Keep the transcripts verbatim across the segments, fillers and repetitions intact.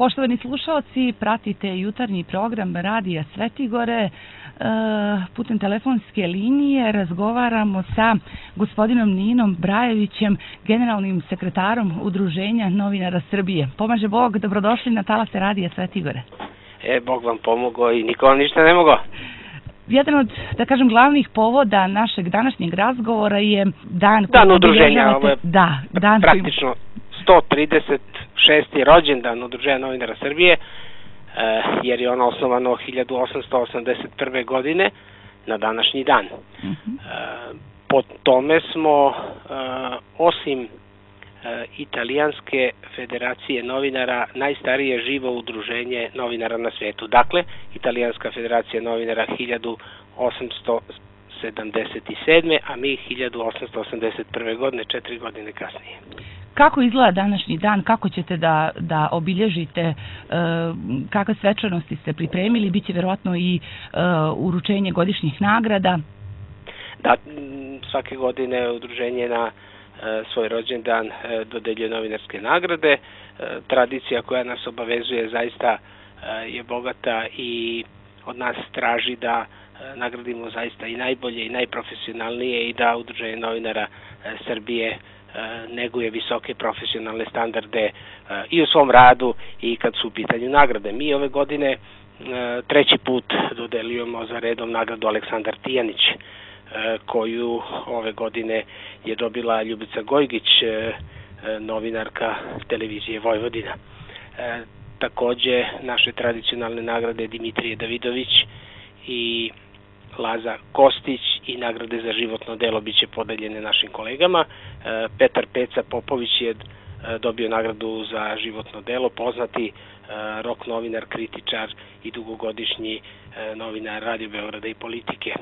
Poštovani slušalci, pratite jutarnji program Radija Svetigore. Putem telefonske linije razgovaramo sa gospodinom Ninom Brajevićem, generalnim sekretarom Udruženja novinara Srbije. Pomaže Bog, dobrodošli na talase Radija Svetigore. E, Bog vam pomogao i niko vam ništa ne mogao. Jedan od, da kažem, glavnih povoda našeg današnjeg razgovora je dan... Dan udruženja, ovo je da, dan praktično sto trideset šesti rođendan Udruženja novinara Srbije, jer je ono osnovano hiljadu osamsto osamdeset prve. godine na današnji dan. Uh-huh. Po tome smo, osim Italijanske federacije novinara, najstarije živo udruženje novinara na svetu. Dakle, Italijanska federacija novinara hiljadu osamsto sedamdeset sedme. a mi hiljadu osamsto osamdeset prve. godine, četiri godine kasnije. Kako izgleda današnji dan? Kako ćete da, da obilježite? E, kakve svečanosti ste pripremili? Biće vjerojatno i e, uručenje godišnjih nagrada? Da, svake godine udruženje na e, svoj rođendan e, dodeljuje novinarske nagrade. E, tradicija koja nas obavezuje zaista e, je bogata i od nas traži da e, nagradimo zaista i najbolje i najprofesionalnije i da Udruženje novinara e, Srbije neguje visoke profesionalne standarde i u svom radu i kad su u pitanju nagrade. Mi ove godine treći put dodeljujemo za redom nagradu Aleksandar Tijanić, koju ove godine je dobila Ljubica Gojgić, novinarka televizije Vojvodina. Takođe, naše tradicionalne nagrade Dimitrije Davidović i Laza Kostić i nagrade za životno delo biće podeljene našim kolegama. Petar Peca Popović je dobio nagradu za životno delo, poznati rok novinar, kritičar i dugogodišnji novinar Radio Beograda i Politike.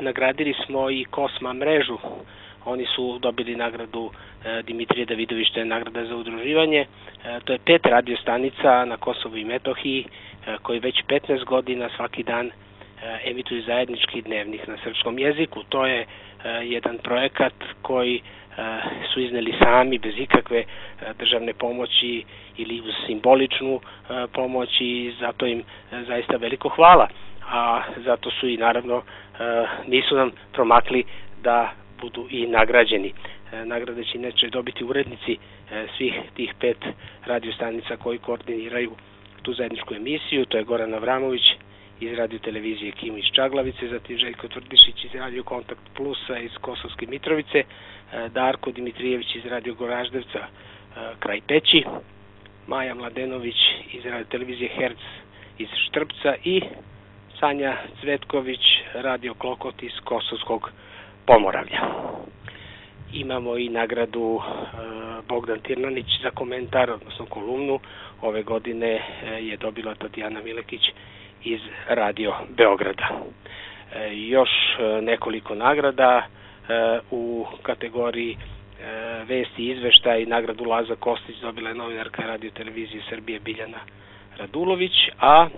Nagradili smo i Kosma mrežu. Oni su dobili nagradu Dimitrije Davidović, to je nagrada za udruživanje. To je pet radio stanica na Kosovu i Metohiji koji već petnaest godina svaki dan emituju zajednički dnevnik na srpskom jeziku. To je jedan projekat koji su izneli sami bez ikakve državne pomoći ili uz simboličnu pomoć i zato im zaista veliko hvala. A zato su i naravno nisu nam promakli da budu i nagrađeni. Nagrade će inače dobiti urednici svih tih pet radiostanica koji koordiniraju tu zajedničku emisiju. To je Goran Avramović iz radio televizije Kim iz Čaglavice, zatim Željko Tvrdišić iz radio Kontakt Plusa iz Kosovske Mitrovice, Darko Dimitrijević iz radio Goraždevca kraj Peći, Maja Mladenović iz radio televizije Herc iz Štrpca i Sanja Cvetković, radio Klokot iz Kosovskog Pomoravlja. Imamo i nagradu Bogdan Tirnanić za komentar, odnosno kolumnu. Ove godine je dobila Tatjana Milekić iz Radio Beograda. E, još nekoliko nagrada e, u kategoriji e, vesti i izveštaj. Nagradu Laza Kostić dobila je novinarka Radio televizije Srbije Biljana Radulović, a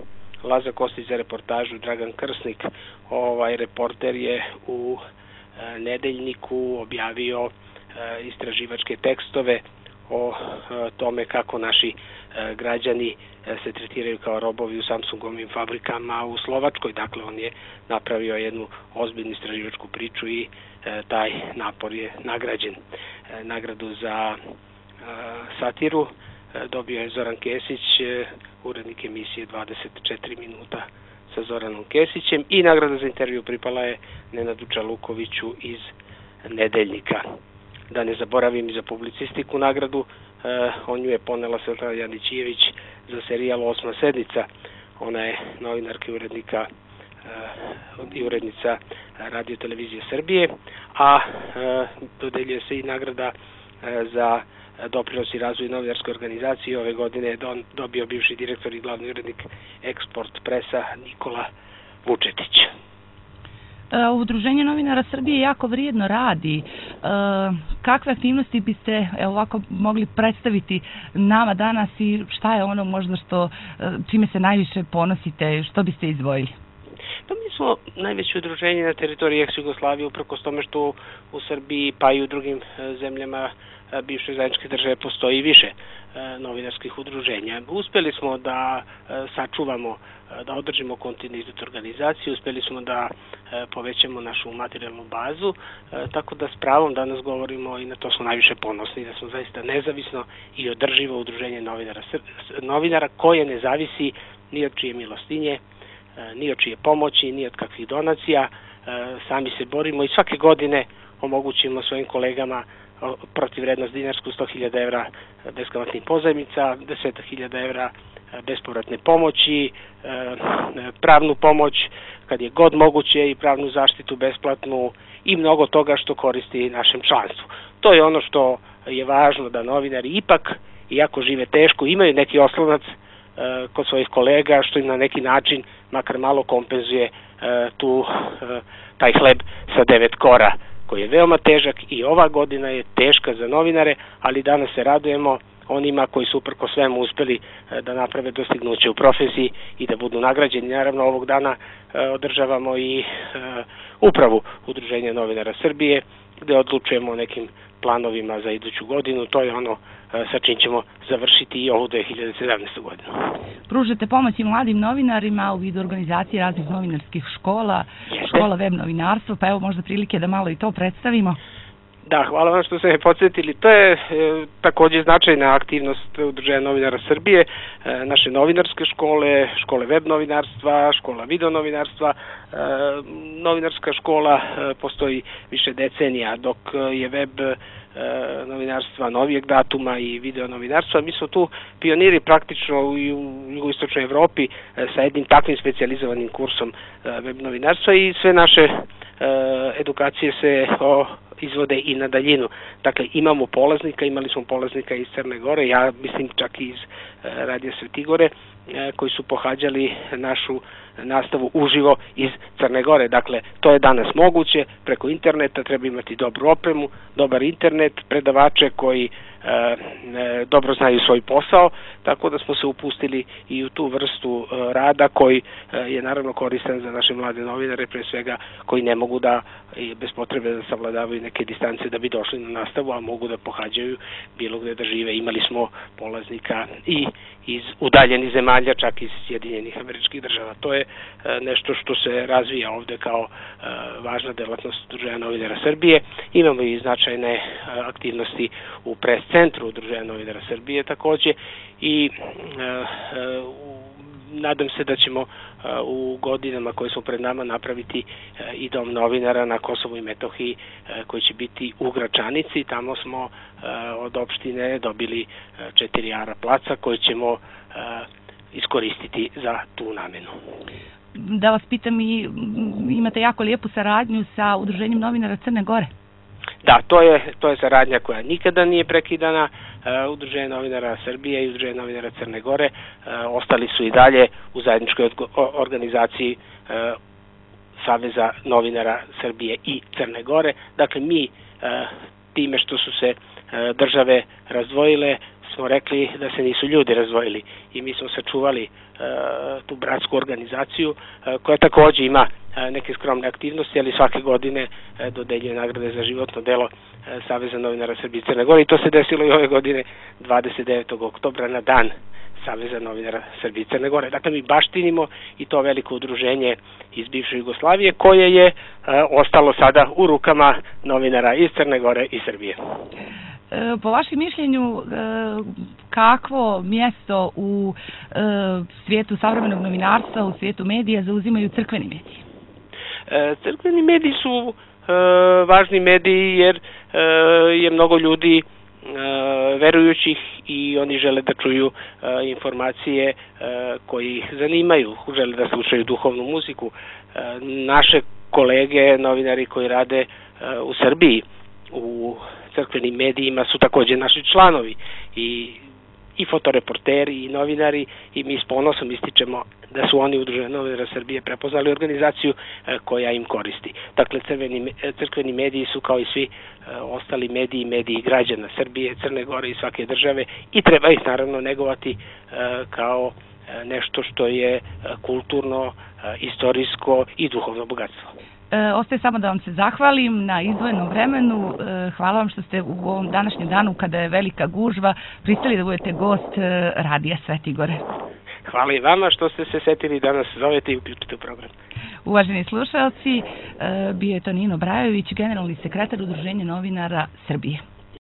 Laza Kostić za reportažu Dragan Krsnik. Ovaj reporter je u e, Nedeljniku objavio e, istraživačke tekstove o e, tome kako naši e, građani se tretiraju kao robovi u Samsungovim fabrikama u Slovačkoj. Dakle, on je napravio jednu ozbiljnu istraživačku priču i e, taj napor je nagrađen. E, nagradu za e, satiru e, dobio je Zoran Kesić, e, urednik emisije dvadeset četiri minuta sa Zoranom Kesićem, i nagrada za intervju pripala je Nenadu Čalukoviću iz Nedeljnika. Da ne zaboravim i za publicistiku nagradu, e, on ju je ponela Svetlana Janićijević za serijal Osma sednica. Ona je novinarka i urednika i urednica Radio televizije Srbije, a e, dodeljuje se i nagrada e, za doprinos i razvoj novinarske organizacije. Ove godine je don, dobio bivši direktor i glavni urednik Eksport Presa Nikola Vučetić. Udruženje novinara Srbije jako vrijedno radi. Kakve aktivnosti biste evo, ovako mogli predstaviti nama danas i šta je ono možda što, čime se najviše ponosite, što biste izdvojili? Pa mi smo najveće udruženje na teritoriji ex-Jugoslavije, uprkos tome što u Srbiji pa i u drugim zemljama bivše zajedničke države postoji više novinarskih udruženja. Uspeli smo da sačuvamo, da održimo kontinuitet organizacije, uspeli smo da povećamo našu materijalnu bazu, tako da s pravom danas govorimo i na to smo najviše ponosni, da smo zaista nezavisno i održivo udruženje novinara, novinara koje ne zavisi ni od čije milostinje, ni od čije pomoći, ni od kakvih donacija. Sami se borimo i svake godine omogućimo svojim kolegama protivvrednost dinarsku sto hiljada evra beskamatnih pozajmica, deset hiljada evra bespovratne pomoći, pravnu pomoć kad je god moguće i pravnu zaštitu besplatnu i mnogo toga što koristi našem članstvu. To je ono što je važno, da novinari ipak, iako žive teško, imaju neki oslonac kod svojih kolega, što im na neki način makar malo kompenzuje tu taj hleb sa devet kora, koji je veoma težak i ova godina je teška za novinare, ali danas se radujemo onima koji su uprko svemu uspeli da naprave dostignuće u profesiji i da budu nagrađeni. Naravno, ovog dana održavamo i upravu Udruženja novinara Srbije, gde odlučujemo o nekim planovima za iduću godinu. To je ono sa čim ćemo završiti i ovu dve hiljade sedamnaestu. godinu. Pružate pomoć i mladim novinarima u vidu organizacije raznih novinarskih škola, škola web novinarstva, pa evo možda prilike da malo i to predstavimo. Da, hvala vam što ste me podsjetili. To je e, takođe značajna aktivnost Udruženja novinara Srbije, e, naše novinarske škole, škole web novinarstva, škola video novinarstva. E, novinarska škola e, postoji više decenija, dok je web e, novinarstva novijeg datuma i video novinarstva. Mi smo tu pioniri praktično u, u jugoistočnoj Evropi e, sa jednim takvim specijalizovanim kursom e, web novinarstva i sve naše e, edukacije se o izvode i na daljinu. Dakle, imamo polaznika, imali smo polaznika iz Crne Gore, ja mislim čak i iz Radija Svetigore, koji su pohađali našu nastavu uživo iz Crne Gore. Dakle, to je danas moguće, preko interneta treba imati dobru opremu, dobar internet, predavače koji e, dobro znaju svoj posao, tako da smo se upustili i u tu vrstu e, rada koji e, je naravno koristan za naše mlade novinare, pre svega koji ne mogu da bez potrebe da savladavaju neke distance da bi došli na nastavu, a mogu da pohađaju bilo gde da žive. Imali smo polaznika i iz udaljenih zemalja, čak iz Sjedinjenih Američkih Država. To je nešto što se razvija ovde kao važna delatnost Udruženja novinara Srbije. Imamo i značajne aktivnosti u pres centru Udruženja novinara Srbije takođe i nadam se da ćemo u godinama koje su pred nama napraviti i dom novinara na Kosovu i Metohiji koji će biti u Gračanici. Tamo smo od opštine dobili četiri ara placa koje ćemo iskoristiti za tu namenu. Da vas pitam, i imate jako lijepu saradnju sa Udruženjem novinara Crne Gore? Da, to je, to je saradnja koja nikada nije prekidana. Udruženje novinara Srbije i Udruženje novinara Crne Gore ostali su i dalje u zajedničkoj organizaciji Saveza novinara Srbije i Crne Gore. Dakle, mi time što su se države razdvojile, smo rekli da se nisu ljudi razdvojili i mi smo sačuvali tu bratsku organizaciju koja takođe ima neke skromne aktivnosti, ali svake godine dodeljuje nagrade za životno delo Saveza novinara Srbije i Crne Gore i to se desilo i ove godine dvadeset devetog oktobra na dan Saveza novinara Srbije i Crne Gore. Dakle, mi baštinimo i to veliko udruženje iz bivše Jugoslavije koje je ostalo sada u rukama novinara iz Crne Gore i Srbije. Po vašem mišljenju, kakvo mjesto u svijetu savremenog novinarstva, u svijetu medija zauzimaju crkveni mediji? Crkveni mediji su važni mediji jer je mnogo ljudi verujućih i oni žele da čuju informacije koji ih zanimaju, žele da slušaju duhovnu muziku. Naše kolege, novinari koji rade u Srbiji, u crkvenim medijima su takođe naši članovi i, i fotoreporteri i novinari i mi s ponosom ističemo da su oni Udruženje novinara Srbije prepoznali organizaciju koja im koristi. Dakle, crveni, crkveni mediji su kao i svi ostali mediji, mediji građana Srbije, Crne Gore i svake države i treba ih naravno negovati kao nešto što je kulturno, istorijsko i duhovno bogatstvo. Ostaje samo da vam se zahvalim na izdvojenom vremenu. Hvala vam što ste u ovom današnjem danu, kada je velika gužva, pristali da budete gost Radija Svete Gore. Hvala i vama što ste se setili da nas zovete i uključite u program. Uvaženi slušalci, bio je to Nino Brajović, generalni sekretar Udruženja novinara Srbije.